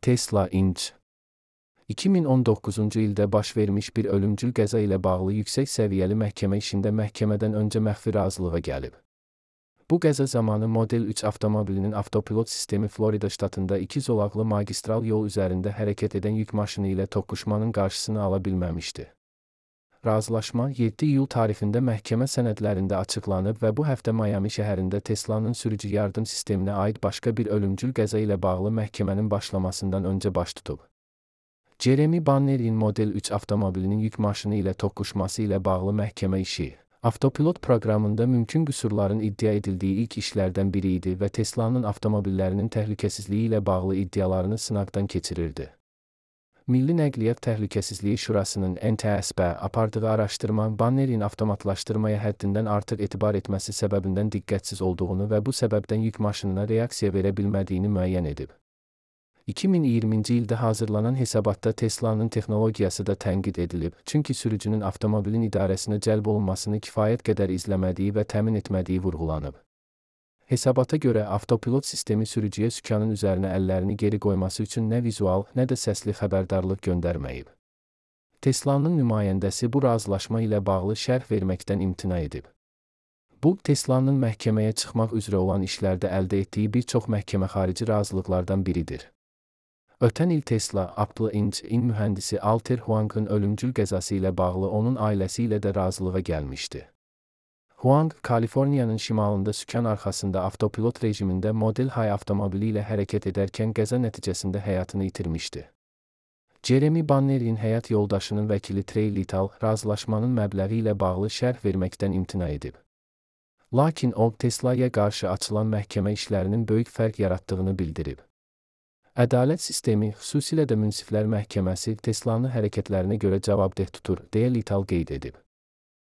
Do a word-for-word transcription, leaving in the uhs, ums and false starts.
Tesla Inc. iki min on doqquzuncu ildə baş vermiş bir ölümcül qəza ilə bağlı yüksək səviyyəli məhkəmə işində məhkəmədən öncə məxfi razılığa gəlib. Bu qəza zamanı Model üç avtomobilinin avtopilot sistemi Florida ştatında iki zolaqlı magistral yol üzərində hərəkət edən yük maşını ilə toqquşmanın qarşısını ala bilməmişdi. Razılaşma yeddi iyul tarixində məhkəmə sənədlərində açıqlanıb və bu həftə Miami şəhərində Tesla'nın sürücü yardım sisteminə aid başqa bir ölümcül qəza ilə bağlı məhkəmənin başlamasından öncə baş tutub. Jeremy Bannerin Model üç avtomobilinin yük maşını ilə toqquşması ilə bağlı məhkəmə işi, avtopilot proqramında mümkün qüsurların iddia edildiyi ilk işlərdən biri idi və Tesla'nın avtomobillərinin təhlükəsizliyi ilə bağlı iddialarını sınaqdan keçirirdi. Milli Nəqliyyat Təhlükəsizliyi Şurasının N T S B apardığı araşdırma Bannerin avtomatlaşdırmaya həddindən artıq etibar etməsi səbəbindən diqqətsiz olduğunu və bu səbəbdən yük maşınına reaksiya verə bilmədiyini müəyyən edib. iki min iyirminci ildə hazırlanan hesabatda Tesla'nın texnologiyası da tənqid edilib, çünki sürücünün avtomobilin idarəsinə cəlb olunmasını kifayət qədər izləmədiyi və təmin etmədiyi vurğulanıb. Hesabata görə avtopilot sistemi sürücüyə sükanın üzərinə əllərini geri qoyması üçün nə vizual, nə də səsli xəbərdarlıq göndərməyib. Tesla'nın nümayəndəsi bu razılaşma ilə bağlı şərh verməkdən imtina edib. Bu, Tesla'nın məhkəməyə çıxmaq üzrə olan işlərdə əldə etdiyi bir çox məhkəmə xarici razılıqlardan biridir. Ötən il Tesla, Apple Inc.'in mühəndisi Alter Huang'ın ölümcül qəzası ilə bağlı onun ailəsi ilə də razılığa gəlmişdi. Huang, Kaliforniyanın şimalında sükan arxasında avtopilot rejimində Model Y avtomobili ilə hərəkət edərkən qəza nəticəsində həyatını itirmişdi. Jeremy Bannerin həyat yoldaşının vəkili Trey Little razılaşmanın məbləği ilə bağlı şərh verməkdən imtina edib. Lakin o, Tesla'ya qarşı açılan məhkəmə işlərinin böyük fərq yaratdığını bildirib. Ədalət sistemi, xüsusilə də münsiflər məhkəməsi Tesla'nı hərəkətlərinə görə cavabdeh tutur, deyə Little qeyd edib.